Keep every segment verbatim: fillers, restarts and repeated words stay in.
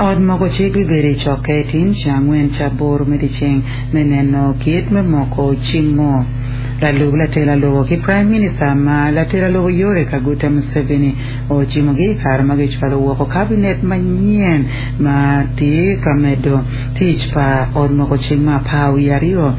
Ot moko cik bibedo i cokke tin ceng angwen ca aboro me dyeceng me neno kit me moko cimo lalub latela lobo ki Prime Minister ma latela lobo Yoweri Kaguta Museveni ocimogi i kare ma gicwalo woko kabinet manyen ma tye ka medo tic pa ot moko cik ma apar wiye aryo.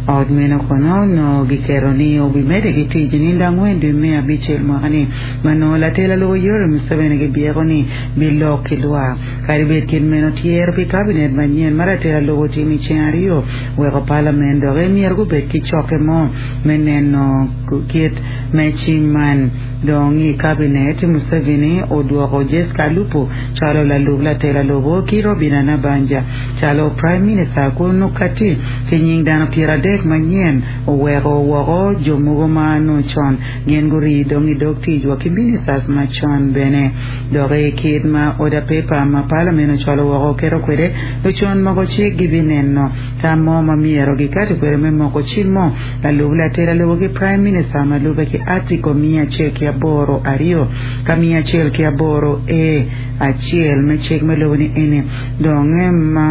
Ot meno kono onongo giketo ni obimedde ki tic i nindo angwen dwe me abicel mwaka-ni ma nongo latela lobo Yoweri Museveni gibyeko ni bilok ki lwak. Kadi bed kit meno, tyero pi kabinet manyen ma latela lobo otimo i ceng aryo weko palament dok myero gubed ki cokke mo me neno kit me cim man. Dong i kabinet, Museveni odwoko Jessica Alupo calo lalub latela lobo ki Robinah Nabbanja calo Prime Minister kun okati ki nying dano pyeradek manyen oweko woko jo mogo ma nongo con gin gurii dong i dog tic wa ki ministers macon bene. Dok i kit ma order paper ma palament ocwalo woko oketo kwede, lucon moko cik gibineno tam mo ma myero gikati kwede me moko cik mo lalub latela lobo ki Prime Minister ma lube ki Article miya acel ki aboro aryo ka miya acel ki aboro A acel me cik me lobo ni eni dong ma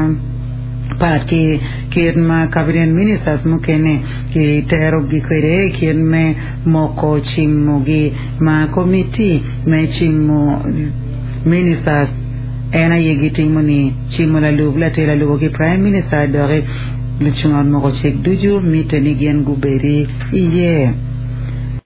pat ki kit ma cabinet ministers mukene kiterogi kwede kit me moko cimogi ma komiti me cimo ministers en aye gitimo ni cimo lalub latela lobo ki Prime Minister doki lucung ot moko cik ducu mitte ni gin gubedi iye.